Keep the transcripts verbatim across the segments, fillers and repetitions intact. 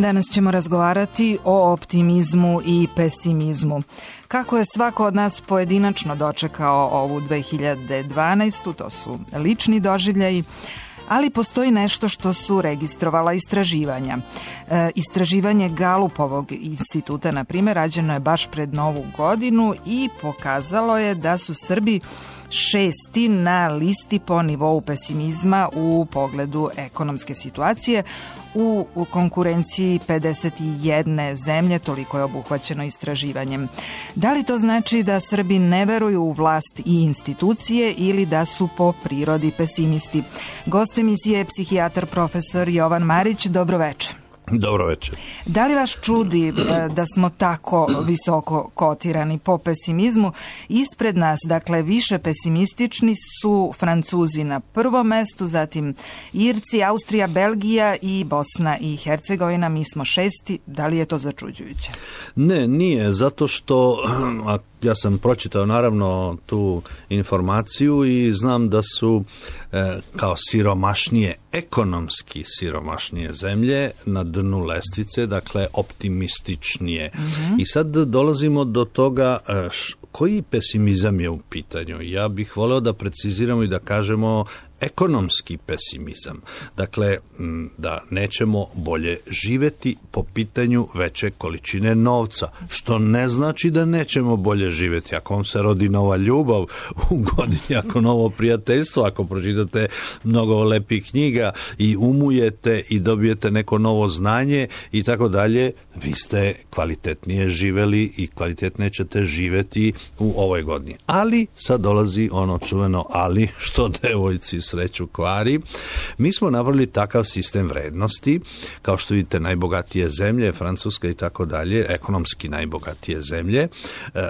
Danas ćemo razgovarati o optimizmu i pesimizmu. Kako je svako od nas pojedinačno dočekao ovu dve hiljade dvanaestu. To su lični doživljaji, ali postoji nešto što su registrovala istraživanja. E, istraživanje Galupovog instituta, na primjer, rađeno je baš pred Novu godinu i pokazalo je da su Srbi šesti na listi po nivou pesimizma u pogledu ekonomske situacije u, u konkurenciji pedeset jedne zemlje, toliko je obuhvaćeno istraživanjem. Da li to znači da Srbi ne veruju u vlast i institucije ili da su po prirodi pesimisti? Gost emisije je psihijatar profesor Jovan Marić. Dobro večer. Dobro večer. Da li vas čudi da smo tako visoko kotirani po pesimizmu? Ispred nas, dakle, više pesimistični su Francuzi na prvom mestu, zatim Irci, Austrija, Belgija i Bosna i Hercegovina. Mi smo šesti. Da li je to začuđujuće? Ne, nije, zato što ja sam pročitao naravno tu informaciju i znam da su e, kao siromašnije, ekonomski siromašnije zemlje na dnu lestvice, dakle optimističnije. Mm-hmm. I sad dolazimo do toga e, š, koji pesimizam je u pitanju. Ja bih voleo da preciziramo i da kažemo ekonomski pesimizam. Dakle, da nećemo bolje živjeti po pitanju veće količine novca, što ne znači da nećemo bolje živjeti. Ako vam se rodi nova ljubav u godini, ako novo prijateljstvo, ako pročitate mnogo lepih knjiga i umujete i dobijete neko novo znanje i tako dalje, vi ste kvalitetnije živeli i kvalitetnije ćete živjeti u ovoj godini. Ali sad dolazi ono čuveno ali, što devojci sreću kvari. Mi smo napravili takav sistem vrednosti, kao što vidite najbogatije zemlje, Francuska i tako dalje, ekonomski najbogatije zemlje,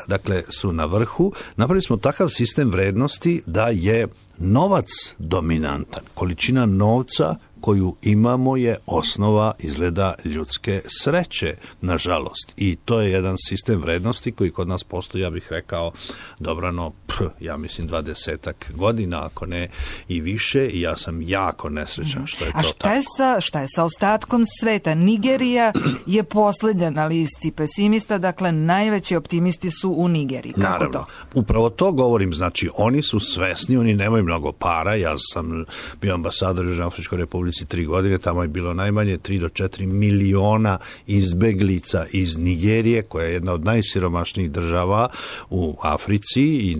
dakle su na vrhu. Napravili smo takav sistem vrednosti da je novac dominantan. Količina novca koju imamo je osnova izgleda ljudske sreće, nažalost. I to je jedan sistem vrednosti koji kod nas postoji, ja bih rekao, dobrano, ph, ja mislim dvadesetak godina, ako ne i više, i ja sam jako nesrećan što je to A šta tako. Je sa, šta je sa ostatkom sveta? Nigerija je posljednja na listi pesimista, dakle najveći optimisti su u Nigeriji. Kako Naravno, to? Upravo to govorim, znači oni su svesni, oni nemaju mnogo para, ja sam bio ambasador u Južnoafričkoj Republici tri godine, tamo je bilo najmanje tri do četiri miliona izbeglica iz Nigerije, koja je jedna od najsiromašnijih država u Africi i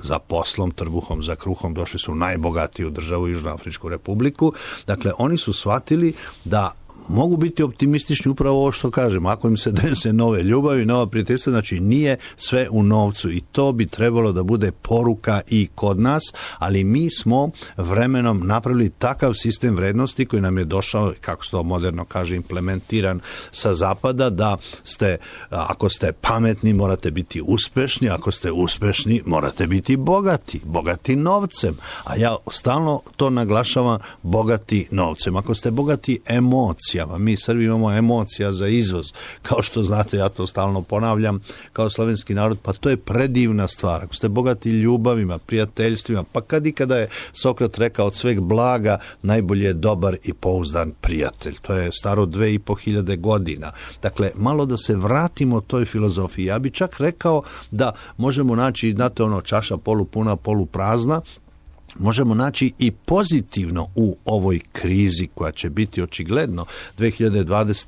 za poslom, trbuhom, za kruhom došli su najbogatiju državu, Južnoafričku Republiku. Dakle, oni su shvatili da mogu biti optimistični upravo ovo što kažem. Ako im se dese nove ljubavi, nova prijateljstva, znači nije sve u novcu i to bi trebalo da bude poruka i kod nas, ali mi smo vremenom napravili takav sistem vrednosti koji nam je došao, kako se to moderno kaže, implementiran sa zapada, da ste, ako ste pametni, morate biti uspešni, ako ste uspešni, morate biti bogati, bogati novcem. A ja stalno to naglašavam, bogati novcem. Ako ste bogati emocija, mi Srbi imamo emocija za izvoz. Kao što znate, ja to stalno ponavljam, kao slovenski narod, pa to je predivna stvar. Ako ste bogati ljubavima, prijateljstvima, pa kad i kada je Sokrat rekao od sveg blaga, najbolje je dobar i pouzdan prijatelj. To je staro dve i po hiljade godina. Dakle, malo da se vratimo toj filozofiji. Ja bi čak rekao da možemo naći, znate ono, čaša polupuna, poluprazna, možemo naći i pozitivno u ovoj krizi koja će biti očigledno dve hiljade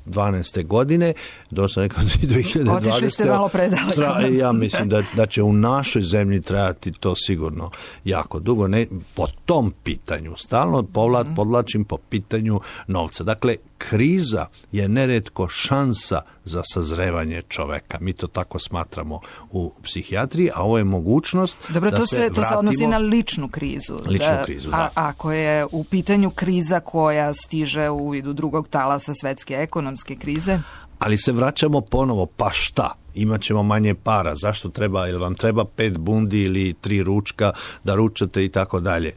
dvanaeste. godine. Dosta nekako dve hiljade dvadesete. Otišli ste malo predaleko. Tra, ja mislim da, da će u našoj zemlji trajati to sigurno jako dugo. Ne, po tom pitanju, stalno povlat, podlačim po pitanju novca. Dakle, kriza je neretko šansa za sazrevanje čoveka. Mi to tako smatramo u psihijatriji, a ovo je mogućnost Dobro, da to se, se vratimo... To se odnosi na ličnu krizu. Ličnu da, krizu, da. A ako je u pitanju kriza koja stiže u vidu drugog talasa svetske ekonomske krize? Ali se vraćamo ponovo, pa šta? imat ćemo manje para, zašto treba, ili vam treba pet bundi ili tri ručka da ručate i tako dalje.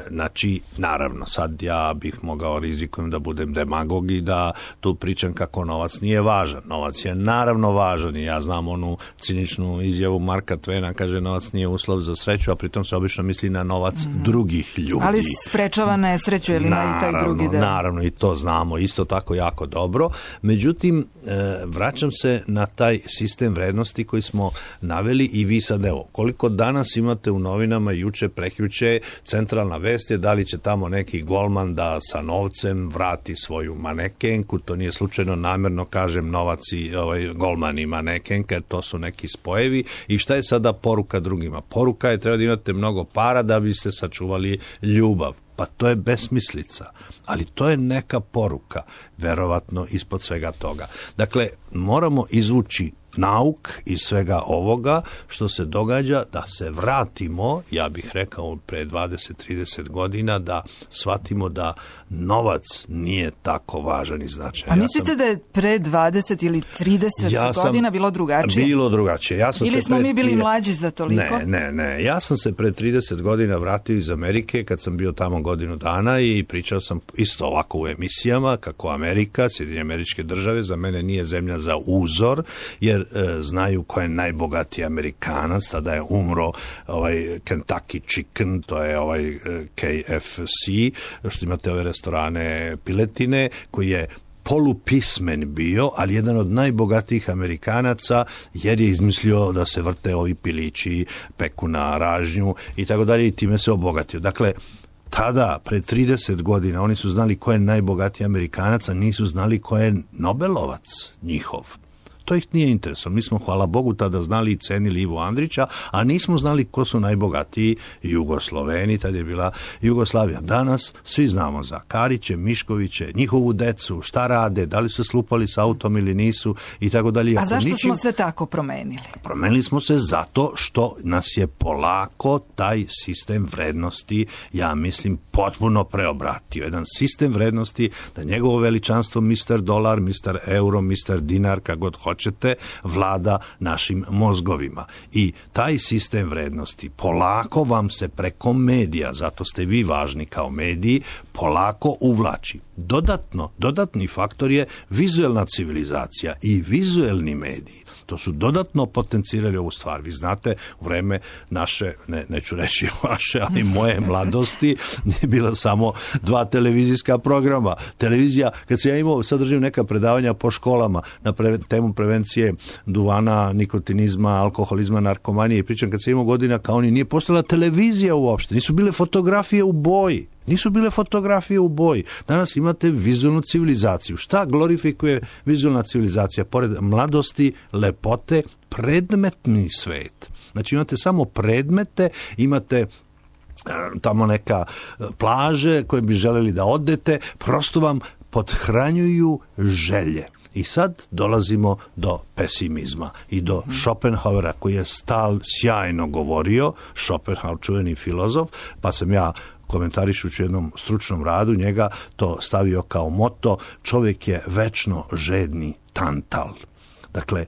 Znači, naravno, sad ja bih mogao rizikujem da budem demagog i da tu pričam kako novac nije važan. Novac je naravno važan i ja znam onu ciničnu izjavu Marka Tvena, kaže novac nije uslov za sreću, a pritom se obično misli na novac mm. drugih ljudi. Ali sprečava nesreću ili ima i taj drugi deo. Naravno, i to znamo isto tako jako dobro. Međutim, vraćam se na taj sistem vrednosti koji smo naveli i vi sad, evo, koliko danas imate u novinama, juče, prekjuče, centralna vest je da li će tamo neki golman da sa novcem vrati svoju manekenku, to nije slučajno, namjerno kažem novac i ovaj, golman i manekenka, jer to su neki spojevi. I šta je sada poruka drugima? Poruka je treba da imate mnogo para da biste sačuvali ljubav. Pa to je besmislica, ali to je neka poruka, verovatno ispod svega toga. Dakle, moramo izvući nauk iz svega ovoga što se događa, da se vratimo, ja bih rekao pre dvadeset do trideset godina, da shvatimo da novac nije tako važan i značajan. A mislite ja sam, da je pre dvadeset ili trideset ja godina bilo drugačije? Bilo drugačije. Ja sam ili se smo pred, mi bili mlađi za toliko? Ne, ne, ne. Ja sam se pre trideset godina vratio iz Amerike kad sam bio tamo godinu dana i pričao sam isto ovako u emisijama kako Amerika, Sjedinjene Američke Države za mene nije zemlja za uzor, jer e, znaju ko je najbogatiji Amerikanac, tada je umro ovaj Kentucky Chicken, to je ovaj e, K F C, što imate ove restorane piletine, koji je polupismen bio, ali jedan od najbogatijih Amerikanaca, jer je izmislio da se vrte ovi pilići, peku na ražnju i tako dalje, i time se obogatio. Dakle, tada, pred trideset godina, oni su znali ko je najbogatiji Amerikanac, a nisu znali ko je Nobelovac njihov. To ih nije interesovalo. Mi smo, hvala Bogu, tada znali i cenili Ivu Andrića, a nismo znali ko su najbogatiji Jugosloveni, tad je bila Jugoslavija. Danas svi znamo za Kariće, Miškoviće, njihovu decu, šta rade, da li su slupali s autom ili nisu i tako dalje. A zašto ničim... smo se tako promenili? Promenili smo se zato što nas je polako taj sistem vrednosti, ja mislim, potpuno preobratio. Jedan sistem vrednosti da njegovo veličanstvo mister Dolar, mister Euro, mister Dinar, kako god hoće, ćete, vlada našim mozgovima. I taj sistem vrednosti polako vam se preko medija, zato ste vi važni kao mediji, polako uvlači. Dodatno, dodatni faktor je vizuelna civilizacija i vizuelni mediji. To su dodatno potencirali ovu stvar. Vi znate, u vreme naše, ne, neću reći vaše, ali moje mladosti, nije bila samo dva televizijska programa. Televizija, kad se ja imao, sad držim neka predavanja po školama na pre, temu prevencije duvana, nikotinizma, alkoholizma, narkomanije i pričam, kad se imao godina kao oni, nije postojala televizija uopšte, nisu bile fotografije u boji. Nisu bile fotografije u boji. Danas imate vizualnu civilizaciju. Šta glorifikuje vizualna civilizacija? Pored mladosti, lepote, predmetni svet. Znači imate samo predmete, imate tamo neka plaže koje bi želeli da odete, prosto vam pothranjuju želje. I sad dolazimo do pesimizma i do Schopenhauera, koji je stal sjajno govorio, Schopenhauer, čuveni filozof, pa sam ja komentarišući u jednom stručnom radu njega to stavio kao moto: čovjek je večno žedni tantal. Dakle,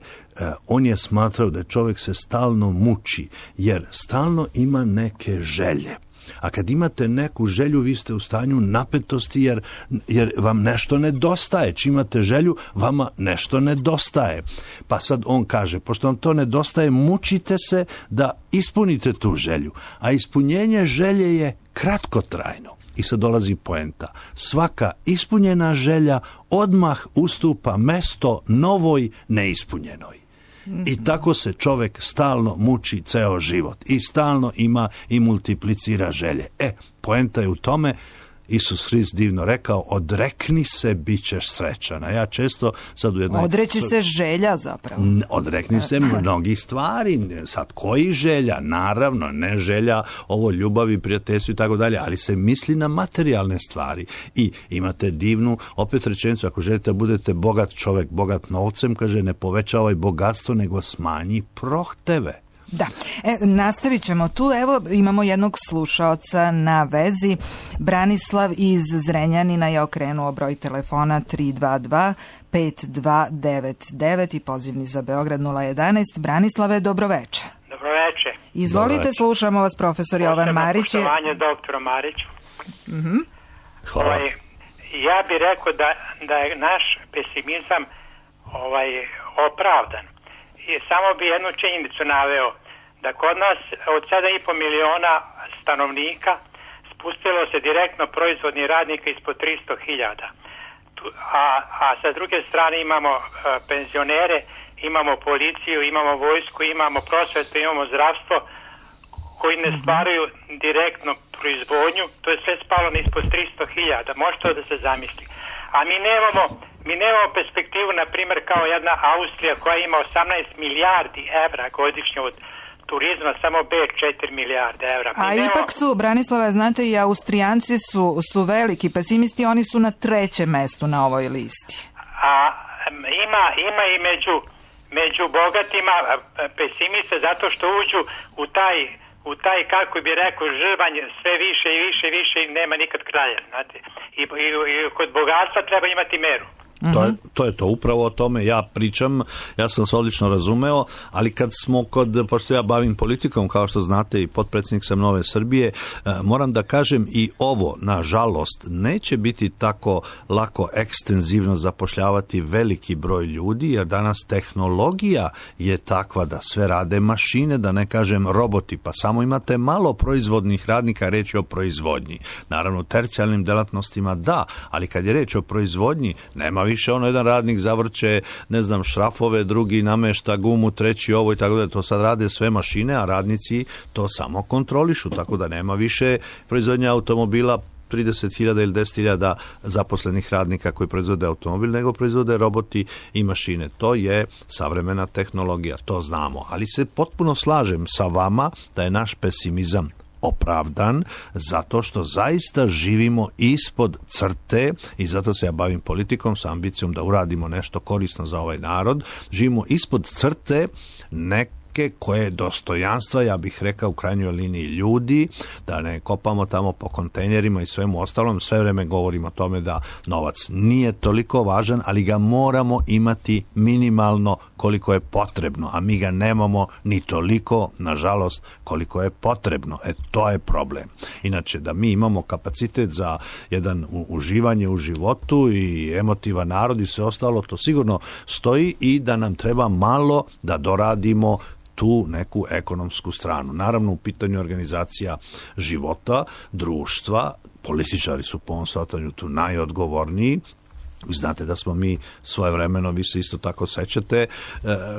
on je smatrao da čovjek se stalno muči, jer stalno ima neke želje. A kad imate neku želju, vi ste u stanju napetosti, jer, jer vam nešto nedostaje. Čim imate želju, vama nešto nedostaje. Pa sad on kaže, pošto vam to nedostaje, mučite se da ispunite tu želju. A ispunjenje želje je kratkotrajno. I sad dolazi poenta. Svaka ispunjena želja odmah ustupa mesto novoj neispunjenoj. I tako se čovjek stalno muči ceo život i stalno ima i multiplicira želje. E, poenta je u tome, Isus Hrist divno rekao, odrekni se, bit ćeš srećan. A ja često sad u jednoj... Odreći se želja zapravo. Odrekni se mnogih stvari. Sad koji želja? Naravno, ne želja ovo ljubavi, prijateljstvu i tako dalje, ali se misli na materijalne stvari. I imate divnu, opet rečenicu, ako želite da budete bogat čovjek, bogat novcem, kaže, ne povećavaj bogatstvo, nego smanji prohteve. Da, e, nastavit ćemo tu. Evo imamo jednog slušaoca na vezi. Branislav iz Zrenjanina je okrenuo broj telefona tri dva dva pet dva devet devet i pozivni za Beograd nula jedanaest. Branislave, dobroveče. Dobroveče. Izvolite, Dobroveče. Slušamo vas, profesor Jovan Marić. Poštovanje doktoru Mariću. Mm-hmm. Hvala. Ovaj, ja bih rekao da, da je naš pesimizam ovaj, opravdan. I samo bi jednu činjenicu naveo, da kod nas od sedam i po miliona stanovnika spustilo se direktno proizvodni radnika ispod tristo hiljada. A, a sa druge strane imamo a, penzionere, imamo policiju, imamo vojsku, imamo prosvetu, imamo zdravstvo koji ne stvaraju direktno proizvodnju. To je sve spalo na ispod tristo hiljada. Može to da se zamisli. A mi nemamo, mi nemamo perspektivu, na primjer, kao jedna Austrija koja ima osamnaest milijardi evra godišnje od turizma, samo Beč četiri milijarde evra. Mi A nemamo... ipak su, Branislava, znate, i Austrijanci su, su veliki pesimisti, oni su na trećem mestu na ovoj listi. A ima, ima i među, među bogatima pesimiste zato što uđu u taj, u taj, kako bi rekao, žrvanj sve više i više i više i nema nikad kraja. Znate. I, i, i kod bogatstva treba imati meru. To je, to je to, upravo o tome ja pričam, ja sam se odlično razumeo, ali kad smo kod, pošto ja bavim politikom, kao što znate i potpredsjednik sam Nove Srbije, moram da kažem i ovo, nažalost, neće biti tako lako ekstenzivno zapošljavati veliki broj ljudi, jer danas tehnologija je takva da sve rade mašine, da ne kažem roboti, pa samo imate malo proizvodnih radnika, reč je o proizvodnji. Naravno, u tercijalnim delatnostima da, ali kad je reč o proizvodnji, nema više ono, jedan radnik zavrće, ne znam, šrafove, drugi namešta gumu, treći ovo i tako da, to sad rade sve mašine, a radnici to samo kontrolišu, tako da nema više proizvodnje automobila trideset hiljada ili deset hiljada zaposlenih radnika koji proizvode automobil, nego proizvode roboti i mašine. To je savremena tehnologija, to znamo, ali se potpuno slažem sa vama da je naš pesimizam opravdan, zato što zaista živimo ispod crte i zato se ja bavim politikom sa ambicijom da uradimo nešto korisno za ovaj narod. Živimo ispod crte neke koje dostojanstva, ja bih rekao u krajnjoj liniji ljudi, da ne kopamo tamo po kontejnerima i svemu ostalom. Sve vreme govorimo o tome da novac nije toliko važan, ali ga moramo imati minimalno koliko je potrebno, a mi ga nemamo ni toliko, nažalost, koliko je potrebno. E, to je problem. Inače, da mi imamo kapacitet za jedan uživanje u životu i emotivan narod i sve ostalo, to sigurno stoji i da nam treba malo da doradimo tu neku ekonomsku stranu. Naravno, u pitanju organizacija života, društva, političari su po ovom shvatanju tu najodgovorniji. Znate da smo mi svojevremeno, vi se isto tako sećate, e,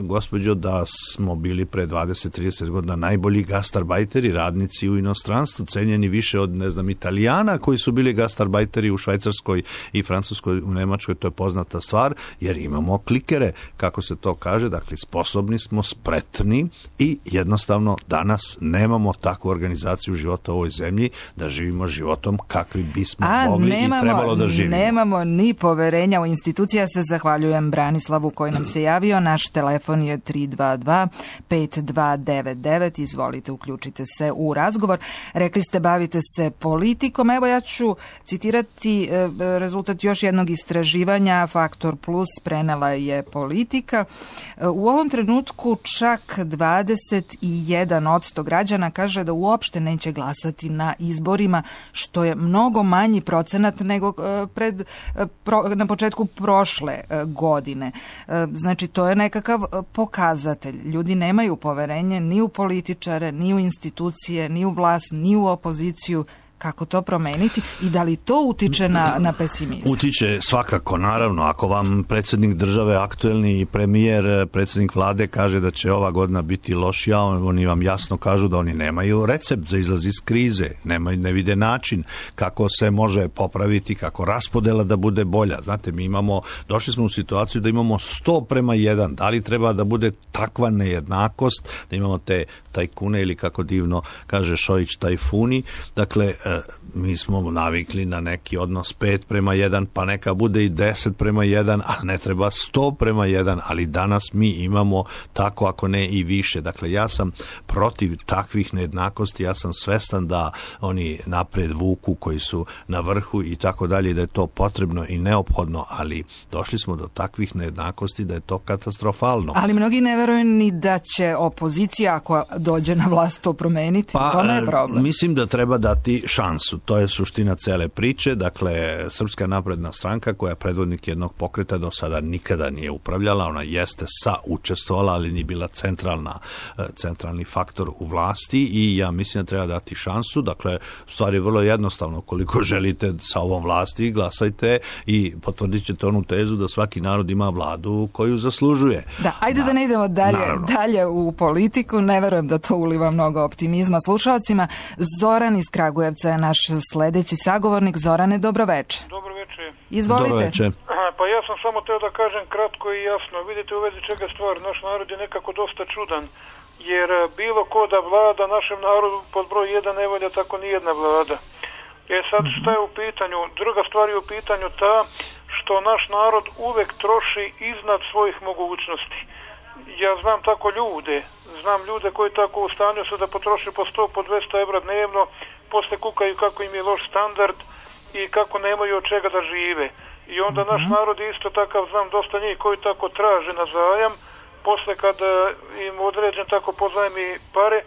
gospođo, da smo bili pre dvadeset trideset godina najbolji gastarbajteri, radnici u inostranstvu, cenjeni više od, ne znam, Italijana koji su bili gastarbajteri u Švajcarskoj i Francuskoj, u Nemačkoj, to je poznata stvar, jer imamo klikere, kako se to kaže, dakle, sposobni smo, spretni i jednostavno danas nemamo takvu organizaciju života u ovoj zemlji da živimo životom kakvi bismo A, mogli nemamo, i trebalo da živimo. Nemamo ni poverenja u institucija. Se zahvaljujem Branislavu koji nam se javio. Naš telefon je tri dva dva pet dva devet devet. Izvolite, uključite se u razgovor. Rekli ste, bavite se politikom. Evo, ja ću citirati rezultat još jednog istraživanja. Faktor Plus prenela je Politika. U ovom trenutku čak dvadeset jedan posto građana kaže da uopšte neće glasati na izborima, što je mnogo manji procenat nego pred na početku prošle godine. Znači, to je nekakav pokazatelj. Ljudi nemaju poverenje ni u političare, ni u institucije, ni u vlast, ni u opoziciju. Kako to promeniti i da li to utiče na, na pesimizam? Utiče svakako, naravno. Ako vam predsjednik države, aktuelni premijer, predsjednik vlade kaže da će ova godina biti lošija, oni vam jasno kažu da oni nemaju recept za izlaz iz krize, nemaju, ne vide način kako se može popraviti, kako raspodela da bude bolja. Znate, mi imamo, došli smo u situaciju da imamo sto prema jedan. Da li treba da bude takva nejednakost, da imamo te tajkune ili kako divno kaže Šojić tajfuni. Dakle, mi smo navikli na neki odnos pet prema jedan, pa neka bude i deset prema jedan, a ne treba sto prema jedan, ali danas mi imamo tako, ako ne i više. Dakle, ja sam protiv takvih nejednakosti, ja sam svestan da oni napred vuku koji su na vrhu i tako dalje, da je to potrebno i neophodno, ali došli smo do takvih nejednakosti da je to katastrofalno. Ali mnogi ne veruju ni da će opozicija, ako dođe na vlast, to promeniti. Pa, to ne je problem. Mislim da treba dati šansu. To je suština cele priče. Dakle, Srpska napredna stranka, koja je predvodnik jednog pokreta, do sada nikada nije upravljala. Ona jeste sa učestvovala, ali nije bila centralna, centralni faktor u vlasti i ja mislim da treba dati šansu. Dakle, stvar je vrlo jednostavno. Koliko želite sa ovom vlasti, glasajte i potvrdit ćete onu tezu da svaki narod ima vladu koju zaslužuje. Da, ajde Na, da ne idemo dalje, dalje u politiku. Ne verujem da to uliva mnogo optimizma slušalcima. Zoran iz Kragujevca je naš sledeći sagovornik. Zorane, dobroveče. Dobroveče. Izvolite. Dobroveče. Pa ja sam samo teo da kažem kratko i jasno. Vidite u vezi čega stvar. Naš narod je nekako dosta čudan. Jer bilo ko da vlada našem narodu pod broj jedan ne valja tako nijedna vlada. E sad šta je u pitanju? Druga stvar je u pitanju ta što naš narod uvek troši iznad svojih mogućnosti. Ja znam tako ljude, znam ljude koji tako u stanju su da potroši po sto, po dvesta evra dnevno, posle kukaju kako im je loš standard i kako nemaju od čega da žive. I onda mm-hmm. naš narod je isto takav, znam dosta njih koji tako traže na zajam, posle kada im određen tako pozajmi pare,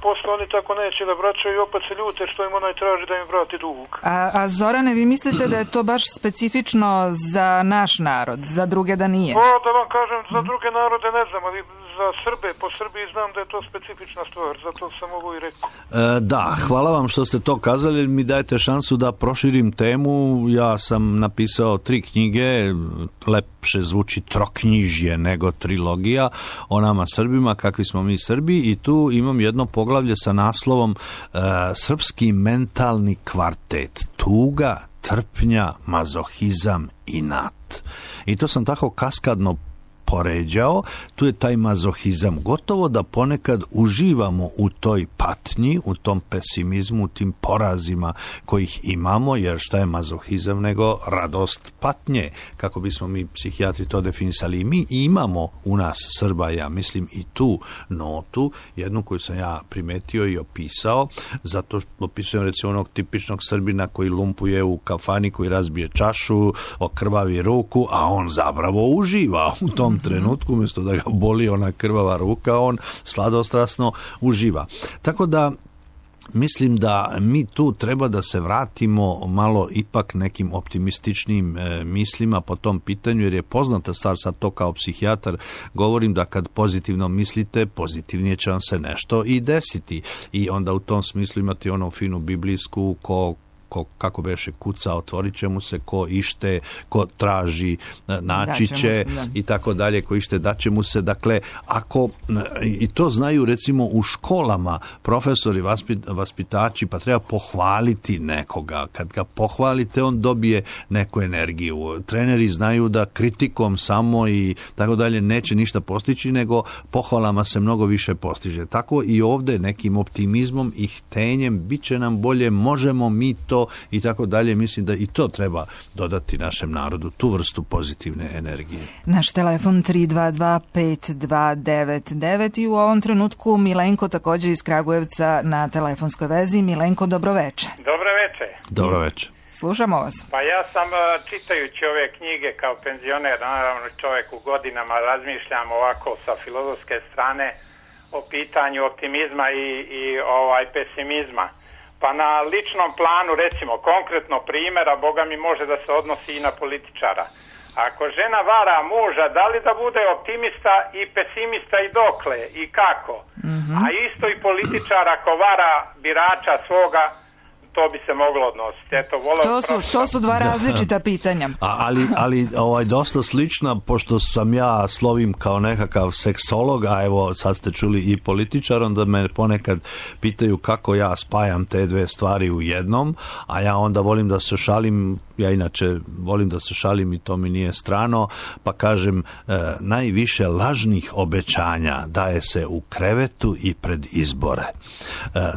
posle oni tako neće da vraćaju i opet se ljute što im onaj traži da im vrati dug. A, a Zorane, vi mislite da je to baš specifično za naš narod, za druge da nije? Pa da vam kažem, za druge narode ne znam, ali za Srbe, po Srbiji znam da je to specifična stvar, zato sam ovo i rekao. E, da, hvala vam što ste to kazali, mi dajete šansu da proširim temu. Ja sam napisao tri knjige, lepše zvuči troknjižje nego trilogija, o nama Srbima, kakvi smo mi Srbi, i tu imam jedno poglavlje sa naslovom e, Srpski mentalni kvartet, tuga, trpnja, mazohizam i inat. I to sam tako kaskadno poređao, tu je taj mazohizam. Gotovo da ponekad uživamo u toj patnji, u tom pesimizmu, u tim porazima kojih imamo, jer šta je mazohizam nego radost patnje, kako bismo mi psihijatri to definisali. I mi imamo u nas Srba, ja mislim, i tu notu, jednu koju sam ja primetio i opisao, zato što opisujem recimo onog tipičnog Srbina koji lumpuje u kafani, koji razbije čašu, okrvavi ruku, a on zapravo uživa u tom trenutku, umjesto da ga boli ona krvava ruka, on sladostrasno uživa. Tako da mislim da mi tu treba da se vratimo malo ipak nekim optimističnim e, mislima po tom pitanju, jer je poznata stvar, sad to kao psihijatar govorim, da kad pozitivno mislite, pozitivnije će vam se nešto i desiti. I onda u tom smislu imate onu finu biblijsku ko ko, kako beše, kuca, otvorit će mu se, ko ište, ko traži, naći će, se, i tako dalje, ko ište, daće mu se. Dakle, ako, i to znaju recimo u školama profesori, vaspit, vaspitači, pa treba pohvaliti nekoga. Kad ga pohvalite, on dobije neku energiju. Treneri znaju da kritikom samo i tako dalje neće ništa postići, nego pohvalama se mnogo više postiže. Tako i ovde nekim optimizmom i htenjem bit će nam bolje, možemo mi to i tako dalje. Mislim da i to treba dodati našem narodu, tu vrstu pozitivne energije. Naš telefon tri dva dva pet dva devet devet i u ovom trenutku Milenko također iz Kragujevca na telefonskoj vezi. Milenko, dobroveče. Dobroveče. Dobroveče. Slušamo vas. Pa ja sam čitajući ove knjige kao penzioner, naravno čovjek u godinama, razmišljam ovako sa filozofske strane o pitanju optimizma i, i ovaj pesimizma. Pa na ličnom planu, recimo, konkretno primjera, Boga mi može da se odnosi i na političara. Ako žena vara muža, da li da bude optimista i pesimista i dokle i kako? Mm-hmm. A isto i političar ako vara birača svoga, to bi se moglo odnositi. Eto, to, su, to su dva različita pitanja. A, ali ali ovaj, dosta slična, pošto sam ja slovim kao nekakav seksolog, a evo sad ste čuli i političar, onda me ponekad pitaju kako ja spajam te dve stvari u jednom, a ja onda volim da se šalim, ja inače volim da se šalim i to mi nije strano, pa kažem, e, najviše lažnih obećanja daje se u krevetu i pred izbore. E,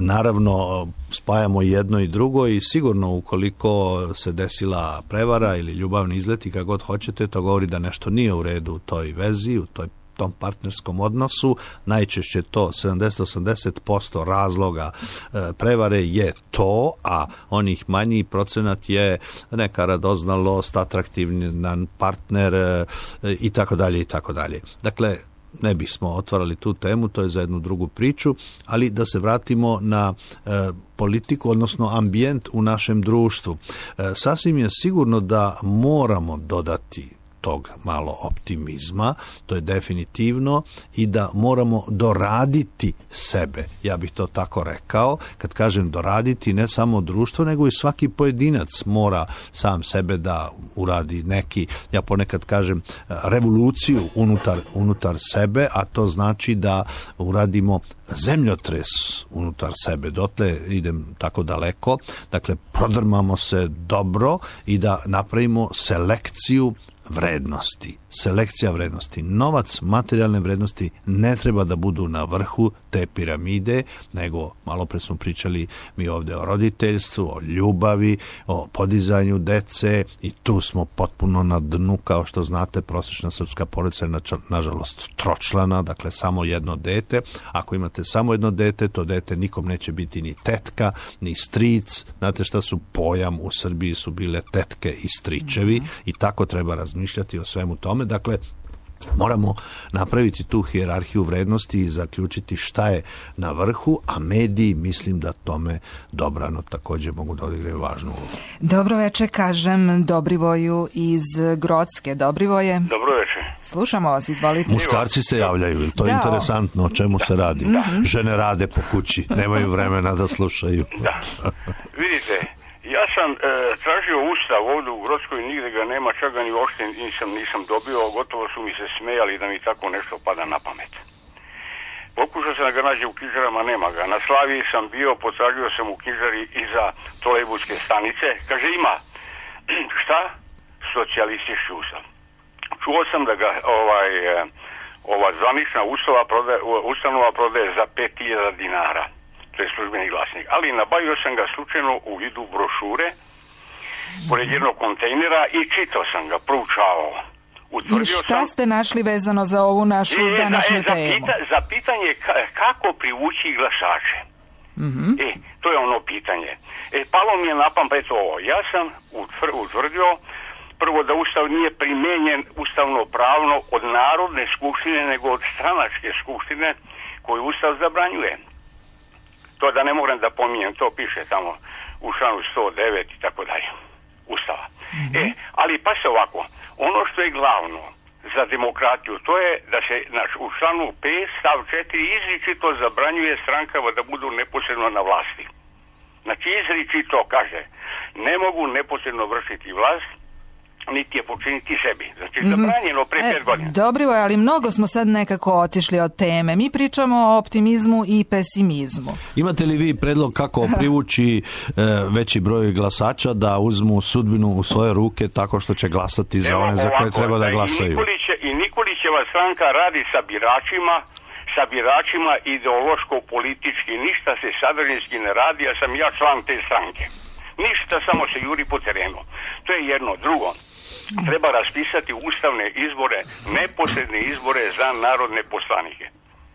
naravno, spajamo jedno i drugo i sigurno ukoliko se desila prevara ili ljubavni izleti, kako god hoćete, to govori da nešto nije u redu u toj vezi, u toj tom partnerskom odnosu. Najčešće to sedamdeset do osamdeset posto razloga e, prevare je to, a onih manji procenat je neka radoznalost, atraktivan partner e, i tako dalje i tako dalje. Dakle, ne bismo otvarali tu temu, to je za jednu drugu priču, ali da se vratimo na e, politiku, odnosno ambijent u našem društvu. E, sasvim je sigurno da moramo dodati tog malo optimizma, to je definitivno, i da moramo doraditi sebe. Ja bih to tako rekao. Kad kažem doraditi, ne samo društvo, nego i svaki pojedinac mora sam sebe da uradi neki, ja ponekad kažem, revoluciju unutar, unutar sebe, a to znači da uradimo zemljotres unutar sebe. Dotle idem tako daleko. Dakle, prodrmamo se dobro i da napravimo selekciju vrednosti. Selekcija vrednosti. Novac, materijalne vrednosti ne treba da budu na vrhu te piramide, nego malo pre smo pričali mi ovde o roditeljstvu, o ljubavi, o podizanju dece i tu smo potpuno na dnu, kao što znate, prosječna srpska porodica je nažalost tročlana, dakle samo jedno dete. Ako imate samo jedno dete, to dete nikom neće biti ni tetka, ni stric. Znate šta su pojam u Srbiji su bile tetke i stričevi mm-hmm. i tako treba razmišljati o svemu tome. Dakle, moramo napraviti tu hijerarhiju vrednosti i zaključiti šta je na vrhu, a mediji mislim da tome dobrano također mogu da odigraju važnu ulogu. Dobro večer, kažem Dobrivoju iz Grocke. Dobrivoje. Dobro večer. Slušamo vas, izvolite. Muškarci se javljaju, to je da, interesantno o čemu da. se radi. Da. Žene rade po kući, nemaju vremena da slušaju. Da. Vidite, ja sam e, tražio ustav ovdje u Grockoj, nigde ga nema, čak ga ni uopšte nisam, nisam dobio, gotovo su mi se smejali da mi tako nešto pada na pamet. Pokušao sam da ga nađe u knjižarama, nema ga. Na Slaviji sam bio, potražio sam u knjižari iza trolejbuske stanice, kaže ima, šta? Socijalistički ustav. Čuo sam da ga ovaj, ova zvanična ustava prodaje, ustanova prodaje za pet hiljada dinara. To je službeni glasnik. Ali nabavio sam ga slučajno u vidu brošure pored jednog kontejnera i čitao sam ga, proučavao. I šta ste našli vezano za ovu našu e, današnju za, temu? Za, za pitanje kako privući glasače. Mm-hmm. E, to je ono pitanje. E, palo mi je na pamet ovo. Ja sam utvrdio prvo da ustav nije primenjen ustavno pravno od Narodne skupštine, nego od stranačke skupštine koju ustav zabranjuje. To da ne moram da pominjem, to piše tamo u članu sto devet i tako dalje Ustava. Mm-hmm. E, ali pa se ovako, ono što je glavno za demokratiju, to je da se naš, u članu pet stav četiri izričito zabranjuje strankama da budu neposredno na vlasti. Znači izričito kaže, ne mogu neposredno vršiti vlast, niti je počiniti sebi. Znači, mm-hmm. zabranjeno pre pet godina. Dobro, ali mnogo smo sad nekako otišli od teme. Mi pričamo o optimizmu i pesimizmu. Imate li vi predlog kako privući e, veći broj glasača da uzmu sudbinu u svoje ruke tako što će glasati za Evo, one za koje treba da glasaju? I, Nikoliće, i Nikolićeva stranka radi sa biračima, sa biračima ideološko-politički. Ništa se sadržinski ne radi, ja sam ja član te stranke. Ništa, samo se juri po terenu. To je jedno. Drugo, treba raspisati ustavne izbore, neposredne izbore za narodne poslanike.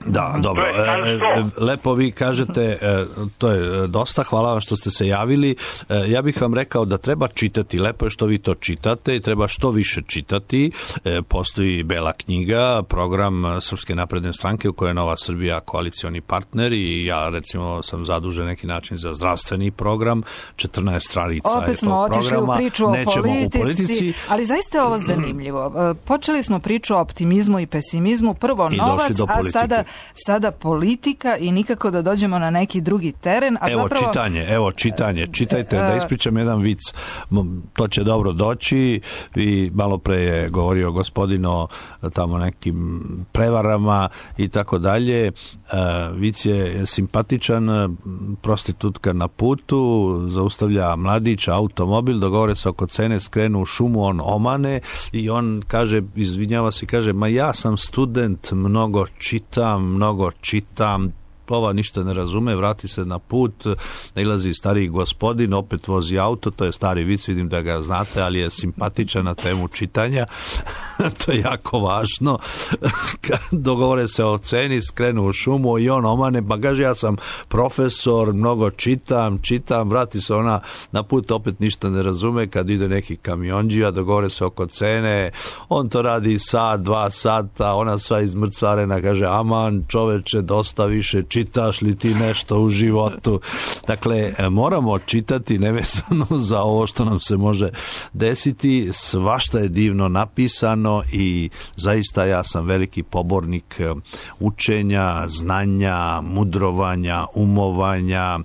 Da, dobro. E, lepo vi kažete, e, to je dosta, hvala vam što ste se javili. E, ja bih vam rekao da treba čitati, lepo je što vi to čitate i treba što više čitati. E, postoji Bela knjiga, program Srpske napredne stranke u kojoj je Nova Srbija koalicioni partner i ja recimo sam zadužen neki način za zdravstveni program, četrnaest stranica Opet smo otišli u priču o politici, u politici, ali zaista je ovo zanimljivo. Počeli smo priču o optimizmu i pesimizmu, prvo novac, a sada sada politika i nikako da dođemo na neki drugi teren. A evo zapravo... čitanje, evo čitanje, čitajte, da ispričam jedan vic, to će dobro doći. I malo pre je govorio gospodin o tamo nekim prevarama i tako dalje. Vic je simpatičan, prostitutka na putu, zaustavlja mladić automobil, dogovore se oko cene, skrenu u šumu, on omane i on kaže, izvinjava se i kaže, ma ja sam student, mnogo čitam, mnogo čitam, ova ništa ne razume, vrati se na put, nailazi stariji gospodin, opet vozi auto, to je stari vic, vidim da ga znate, ali je simpatičan na temu čitanja, to je jako važno. Dogovore se o ceni, skrenu u šumu i on omane, pa kaže, ja sam profesor, mnogo čitam, čitam, vrati se ona na put, opet ništa ne razume, kad ide neki kamionđija, dogovore se oko cene, on to radi sat, dva sata, ona sva izmrcvarena, kaže, aman čoveče, dosta više čitaš li ti nešto u životu. Dakle, moramo čitati nevezano za ovo što nam se može desiti. Svašta je divno napisano i zaista ja sam veliki pobornik učenja, znanja, mudrovanja, umovanja.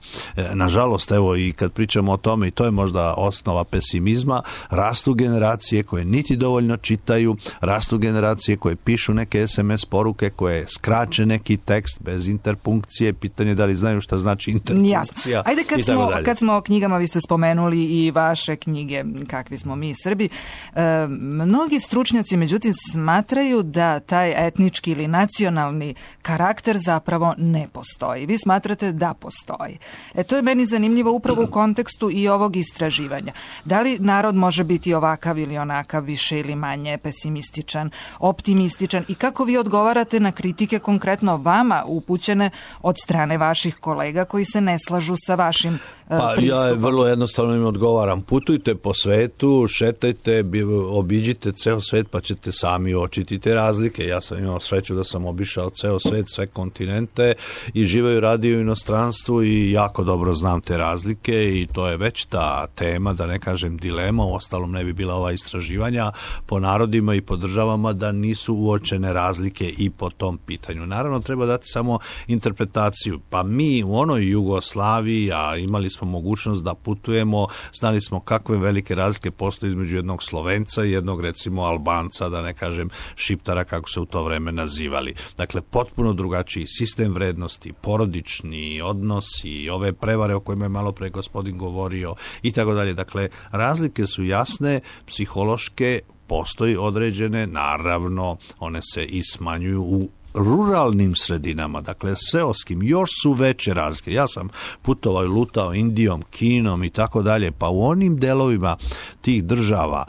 Nažalost, evo i kad pričamo o tome, i to je možda osnova pesimizma, rastu generacije koje niti dovoljno čitaju, rastu generacije koje pišu neke es em es poruke, koje skraće neki tekst bez interpunkcije, pitanje da li znaju šta znači interpunkcija. Jasno. Ajde, kad smo, kad smo o knjigama, vi ste spomenuli i vaše knjige, Kakvi smo mi Srbi. E, mnogi stručnjaci, međutim, smatraju da taj etnički ili nacionalni karakter zapravo ne postoji. Vi smatrate da postoji. E, to je meni zanimljivo upravo u kontekstu i ovog istraživanja. Da li narod može biti ovakav ili onakav, više ili manje pesimističan, optimističan i kako vi odgovarate na kritike konkretno vama upućene od strane vaših kolega koji se ne slažu sa vašim uh, pa, pristupom? Ja vrlo jednostavno im odgovaram. Putujte po svetu, šetajte, obiđite ceo svet pa ćete sami uočiti te razlike. Ja sam imao sreću da sam obišao ceo svet, sve kontinente i živeo i radio u inostranstvu i jako dobro znam te razlike i to je već ta tema, da ne kažem dilema, u ostalom ne bi bila ova istraživanja po narodima i po državama da nisu uočene razlike i po tom pitanju. Naravno, treba dati samo interpretaciju. Pa mi u onoj Jugoslaviji, a imali smo mogućnost da putujemo, znali smo kakve velike razlike postoje između jednog Slovenca i jednog, recimo, Albanca, da ne kažem Šiptara, kako se u to vreme nazivali. Dakle, potpuno drugačiji sistem vrednosti, porodični odnosi, ove prevare o kojima je malo pre gospodin govorio i tako dalje. Dakle, razlike su jasne, psihološke, postoji određene, naravno, one se i smanjuju u ruralnim sredinama, dakle seoskim, još su veće razlike. Ja sam putovao i lutao Indijom, Kinom i tako dalje, pa u onim delovima tih država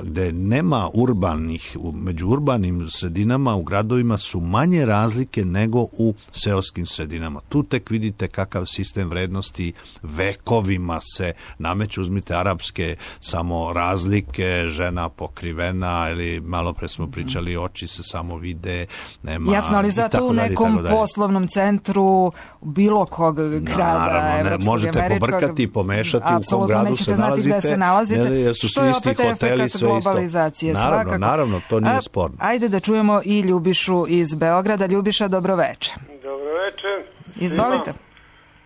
gde nema urbanih, među urbanim sredinama u gradovima su manje razlike nego u seoskim sredinama. Tu tek vidite kakav sistem vrednosti vekovima se nameću. Uzmite arapske samo razlike, žena pokrivena, ili malo pre smo pričali, oči se samo vide, nema. Jasno, ali zato u nekom poslovnom centru bilo kog grada, naravno, ne, možete američkog, pobrkati i pomešati u kom gradu se nalazite, se nalazite, jer, jer su što je opet hoteli, efekat globalizacije. Naravno, svakako. naravno, to nije A, sporno. Ajde da čujemo i Ljubišu iz Beograda. Ljubiša, dobroveče. Dobroveče. Izvolite.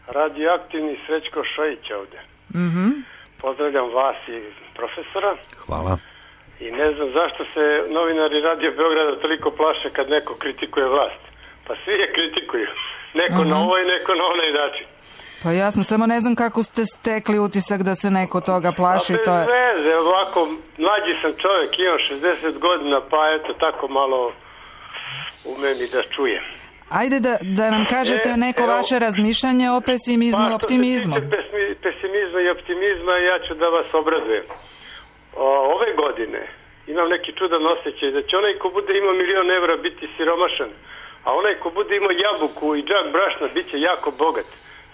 Radioaktivni Srećko Šojić ovde. Mhm. Pozdravljam vas i profesora. Hvala. I ne znam zašto se novinari Radio Beograda toliko plaše kad neko kritikuje vlast. Pa svi je kritikuju. Neko uh-huh. na ovaj, neko na onaj način. Pa jasno, samo ne znam kako ste stekli utisak da se neko toga plaši. Pa bez to je... veze, ovako, mlađi sam čovjek, imam šezdeset godina, pa eto, tako malo umem i da čujem. Ajde da, da nam kažete e, neko evo, vaše razmišljanje o pesimizmu i optimizmu. Pa što se tiče pesimizma i optimizma, ja ću da vas obradujem. O, ove godine imam neki čudan osjećaj da će onaj ko bude imao milion evra biti siromašan, a onaj ko bude imao jabuku i džak brašna bit će jako bogat.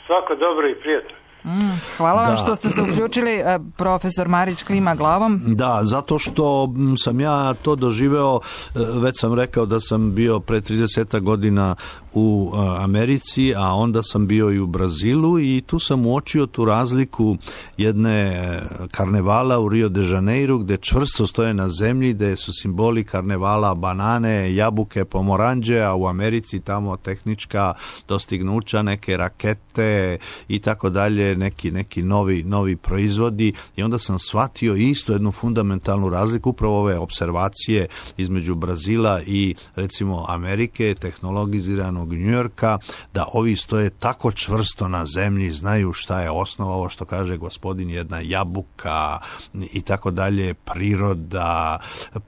Svako dobro i prijatno. Mm, hvala vam da. Što ste se uključili. Profesor Marić klima glavom. Da, zato što sam ja to doživeo, već sam rekao da sam bio pre trideset godina u Americi, a onda sam bio i u Brazilu i tu sam uočio tu razliku jedne karnevala u Rio de Janeiro gde čvrsto stoje na zemlji, gde su simboli karnevala banane, jabuke, pomoranđe, a u Americi tamo tehnička dostignuća, neke rakete i tako dalje, neki, neki novi, novi proizvodi i onda sam shvatio isto jednu fundamentalnu razliku, upravo ove observacije između Brazila i recimo Amerike, tehnologiziranog Njujorka, da ovi stoje tako čvrsto na zemlji, znaju šta je osnova, ovo što kaže gospodin, jedna jabuka i tako dalje, priroda,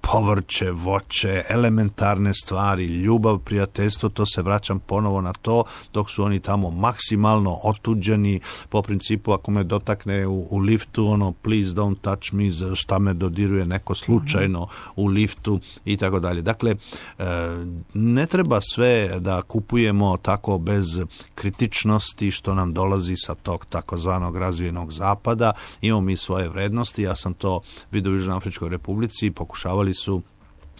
povrće, voće, elementarne stvari, ljubav, prijateljstvo, to se vraćam ponovo na to, dok su oni tamo maksimalno otuđeni, po principu ako me dotakne u, u liftu, ono please don't touch me, šta me dodiruje neko slučajno u liftu i tako dalje. Dakle, ne treba sve da kupujemo tako bez kritičnosti što nam dolazi sa tog takozvanog razvijenog zapada. Imamo mi svoje vrednosti, ja sam to vidio u Južnoafričkoj Republici, pokušavali su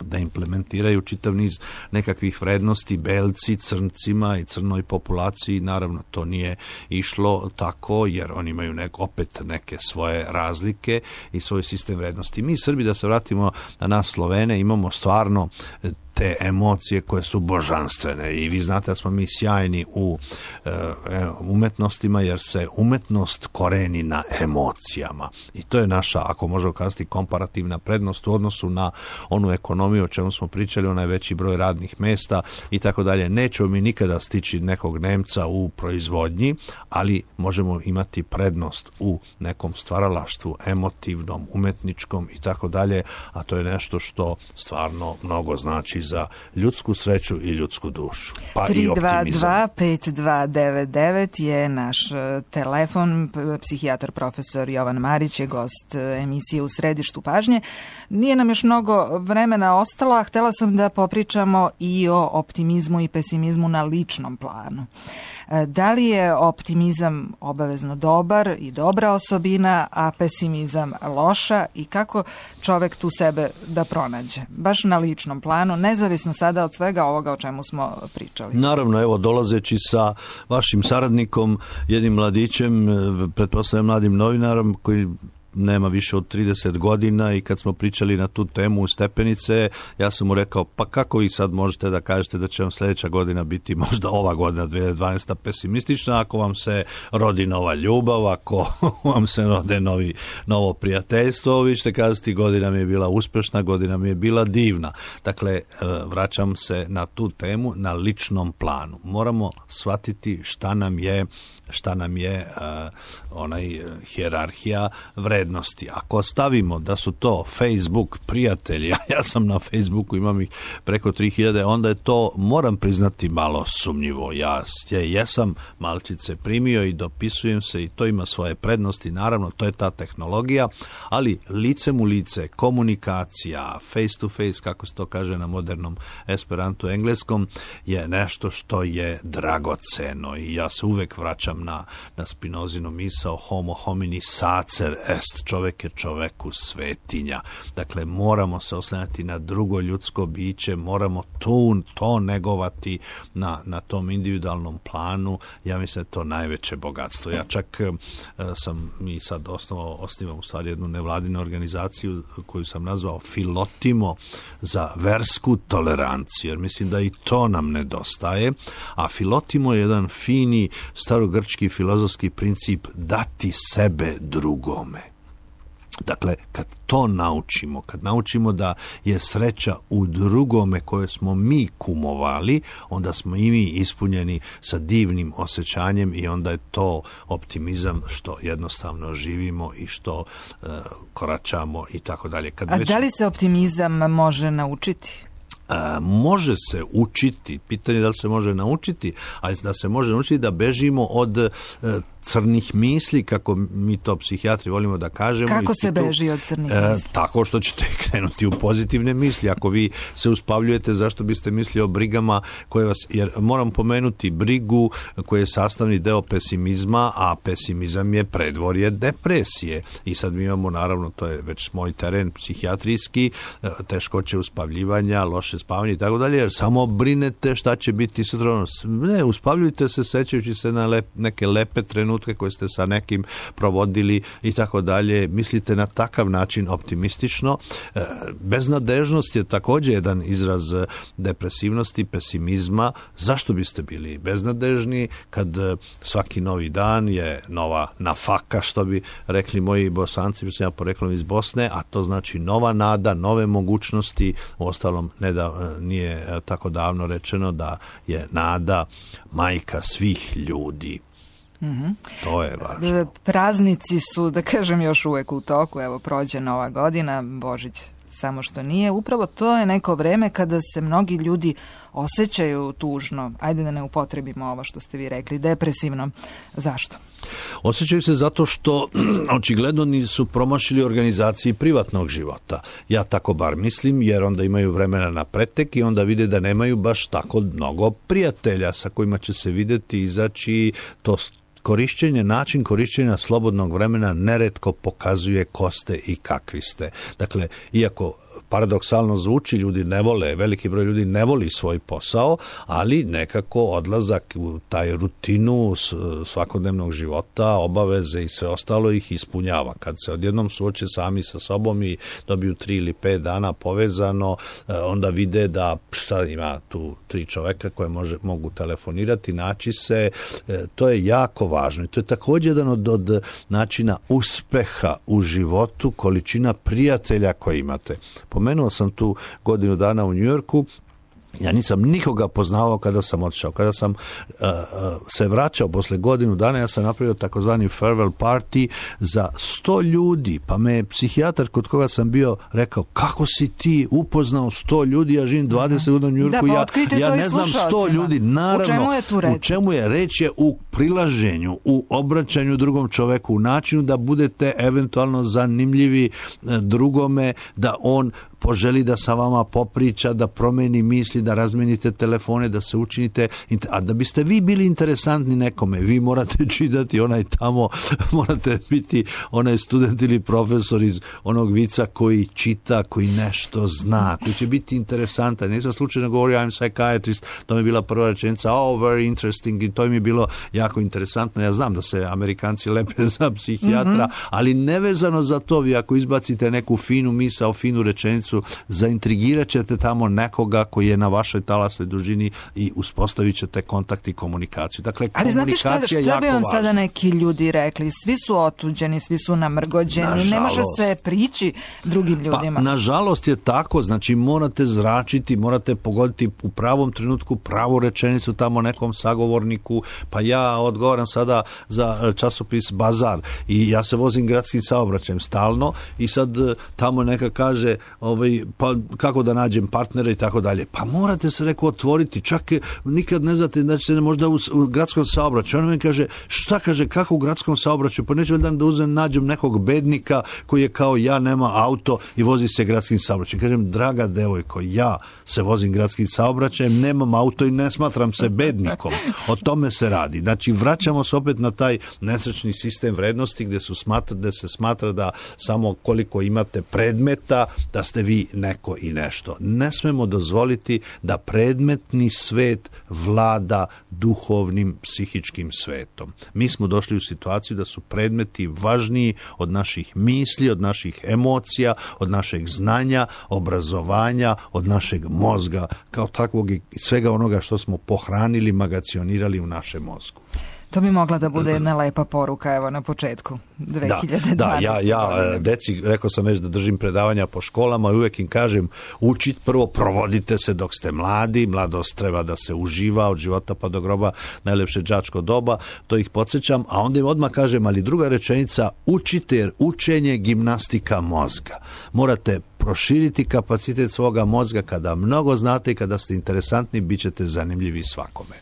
da implementiraju čitav niz nekakvih vrednosti belci, crncima i crnoj populaciji. Naravno, to nije išlo tako, jer oni imaju nek, opet neke svoje razlike i svoj sistem vrednosti. Mi Srbi, da se vratimo na nas Slovene, imamo stvarno te emocije koje su božanstvene i vi znate da smo mi sjajni u e, umetnostima jer se umetnost koreni na emocijama i to je naša, ako možemo kazati, komparativna prednost u odnosu na onu ekonomiju o čemu smo pričali, onaj veći broj radnih mesta i tako dalje. Nećemo mi nikada stići nekog Nemca u proizvodnji, ali možemo imati prednost u nekom stvaralaštvu, emotivnom, umetničkom i tako dalje, a to je nešto što stvarno mnogo znači za ljudsku sreću i ljudsku dušu. Pa tri i optimizam. tri dva dva pet dva devet devet je naš telefon. Psihijatar profesor Jovan Marić je gost emisije U središtu pažnje. Nije nam još mnogo vremena ostalo, a htela sam da popričamo i o optimizmu i pesimizmu na ličnom planu. Da li je optimizam obavezno dobar i dobra osobina, a pesimizam loša i kako čovek tu sebe da pronađe? Baš na ličnom planu, nezavisno sada od svega ovoga o čemu smo pričali. Naravno, evo, dolazeći sa vašim saradnikom, jednim mladićem, pretpostavljam mladim novinarom koji nema više od trideset godina i kad smo pričali na tu temu u Stepenice, ja sam mu rekao, pa kako vi sad možete da kažete da će vam sljedeća godina biti možda ova godina dvije hiljade dvanaesta pesimistična, ako vam se rodi nova ljubav, ako vam se rode novi, novo prijateljstvo, vi ćete kazati godina mi je bila uspešna, godina mi je bila divna. Dakle, vraćam se na tu temu na ličnom planu. Moramo shvatiti šta nam je šta nam je uh, onaj uh, hijerarhija vrednosti. Ako stavimo da su to Facebook prijatelji, ja, ja sam na Facebooku, imam ih preko tri hiljade, onda je to, moram priznati, malo sumnjivo. Ja je, jesam malčice primio i dopisujem se i to ima svoje prednosti, naravno, to je ta tehnologija, ali licem u lice, komunikacija, face to face, kako se to kaže na modernom esperantu engleskom, je nešto što je dragoceno i ja se uvek vraćam na, na Spinozinu misao homo homini sacer est, čovek je čoveku svetinja. Dakle, moramo se oslanjati na drugo ljudsko biće, moramo to, to negovati na, na tom individualnom planu. Ja mislim da je to najveće bogatstvo. Ja čak e, sam i sad osnovao, osnivam u stvari jednu nevladinu organizaciju koju sam nazvao Filotimo za versku toleranciju, jer mislim da i to nam nedostaje, a Filotimo je jedan fini starogrčki filozofski princip dati sebe drugome. Dakle, kad to naučimo, kad naučimo da je sreća u drugome koje smo mi kumovali, onda smo i mi ispunjeni sa divnim osjećanjem i onda je to optimizam što jednostavno živimo i što uh, koračamo i tako dalje. Kad A već... da li se optimizam može naučiti? A, može se učiti, pitanje je da li se može naučiti, ali da se može naučiti da bežimo od e, crnih misli, kako mi to psihijatri volimo da kažemo. Kako se tu, beži od crnih e, misli? Tako što ćete krenuti u pozitivne misli. Ako vi se uspavljujete, zašto biste mislili o brigama koje vas, jer moram pomenuti brigu koja je sastavni deo pesimizma, a pesimizam je predvorje depresije. I sad mi imamo, naravno, to je već moj teren psihijatrijski, teškoće uspavljivanja, loše spavanje i tako dalje, jer samo brinete šta će biti sutra. Ne, uspavljujte se sećajući se na lep, neke lepe trenutke koje ste sa nekim provodili i tako dalje. Mislite na takav način optimistično. Beznadežnost je također jedan izraz depresivnosti, pesimizma. Zašto biste bili beznadežni kad svaki novi dan je nova nafaka, što bi rekli moji Bosanci, mislim ja poreklom iz Bosne, a to znači nova nada, nove mogućnosti. Uostalom, ne da, nije tako davno rečeno da je nada majka svih ljudi. Mm-hmm. To je važno. Praznici su, da kažem, još uvek u toku. Evo, prođe Nova godina, Božić samo što nije. Upravo to je neko vreme kada se mnogi ljudi osjećaju tužno. Ajde da ne upotrebimo ovo što ste vi rekli, depresivno. Zašto? Osjećaju se zato što očigledno nisu promašili organizaciji privatnog života. Ja tako bar mislim, jer onda imaju vremena na pretek i onda vide da nemaju baš tako mnogo prijatelja sa kojima će se vidjeti, izaći. To korišćenje, način korišćenja slobodnog vremena neretko pokazuje ko ste i kakvi ste. Dakle, iako paradoksalno zvuči, ljudi ne vole, veliki broj ljudi ne voli svoj posao, ali nekako odlazak u taj rutinu svakodnevnog života, obaveze i sve ostalo ih ispunjava. Kad se odjednom suoče sami sa sobom i dobiju tri ili pet dana povezano, onda vide da šta ima tu tri čoveka koje može, mogu telefonirati, naći se. To je jako važno i to je također jedan od, od načina uspeha u životu, količina prijatelja koje imate. Pomenuo sam tu godinu dana u Njujorku. Ja nisam nikoga poznavao kada sam otišao. Kada sam uh, uh, se vraćao posle godinu dana, ja sam napravio takozvani farewell party za sto ljudi, pa me je psihijatar kod koga sam bio rekao, kako si ti upoznao sto ljudi, ja živim dvadeset godina u Njujorku, da, pa ja, ja ne znam sto ljudi. Naravno, u čemu je tu reč? U čemu je reč je u prilaženju, u obraćanju drugom čoveku, u načinu da budete eventualno zanimljivi drugome, da on poželi da sa vama popriča, da promeni misli, da razmenite telefone, da se učinite, a da biste vi bili interesantni nekome, vi morate čitati onaj tamo, morate biti onaj student ili profesor iz onog vica koji čita, koji nešto zna, koji će biti interesantan. Nisam slučajno govorio I'm psychiatrist, to mi je bila prva rečenica, oh, very interesting, i to mi je bilo jako interesantno. Ja znam da se Amerikanci lepe za psihijatra, mm-hmm. ali nevezano za to, vi ako izbacite neku finu misao, finu rečenicu, zaintrigirat ćete tamo nekoga koji je na vašoj talasnoj dužini i uspostavit ćete kontakt i komunikaciju. Dakle, ali komunikacija znate šta, šta bi vam važna. Sada neki ljudi rekli? Svi su otuđeni, svi su namrgođeni, nažalost, ne može se prići drugim ljudima. Pa, nažalost je tako, znači morate zračiti, morate pogoditi u pravom trenutku pravu rečenicu tamo nekom sagovorniku, pa ja odgovaram sada za časopis Bazar i ja se vozim gradskim saobraćajem stalno i sad tamo neka kaže ovaj, pa kako da nađem partnera i tako dalje. Pa morate se reko otvoriti, čak nikad ne znate da ćete možda u, u gradskom saobraćaju. On mi kaže, šta kaže, kako u gradskom saobraćaju? Pa neću valjda da uzem, nađem nekog bednika koji je kao ja, nema auto i vozi se gradskim saobraćajem. Kažem, draga devojko, ja se vozim gradskim saobraćajem, nemam auto i ne smatram se bednikom. O tome se radi. Znači, vraćamo se opet na taj nesrećni sistem vrednosti gdje, su smatra, gdje se smatra da samo koliko imate predmeta, da ste vi neko i nešto. Ne smemo dozvoliti da predmetni svet vlada duhovnim psihičkim svetom. Mi smo došli u situaciju da su predmeti važniji od naših misli, od naših emocija, od našeg znanja, obrazovanja, od našeg mozga, kao takvog i svega onoga što smo pohranili, magacionirali u našem mozgu. To bi mogla da bude jedna lepa poruka, evo, na početku dve hiljade dvanaeste. Da, da, ja, ja deci, rekao sam već da držim predavanja po školama i uvijek im kažem, učit prvo, provodite se dok ste mladi, mladost treba da se uživa od života pa do groba, najlepše đačko doba, to ih podsjećam, a onda im odmah kažem, ali druga rečenica, učite jer učenje gimnastika mozga. Morate proširiti kapacitet svoga mozga. Kada mnogo znate i kada ste interesantni, bit ćete zanimljivi svakome.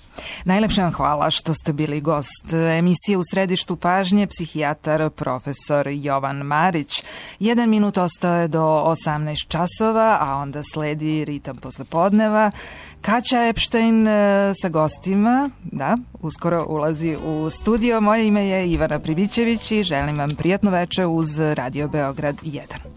Najlepše vam hvala što ste bili gost emisije U središtu pažnje, psihijatar profesor Jovan Marić. Jedan minut ostao je do osamnaest časova, a onda sledi ritam poslepodneva. Kaća Epštajn sa gostima, da, uskoro ulazi u studio. Moje ime je Ivana Pribićević i želim vam prijatno veče uz Radio Beograd jedan.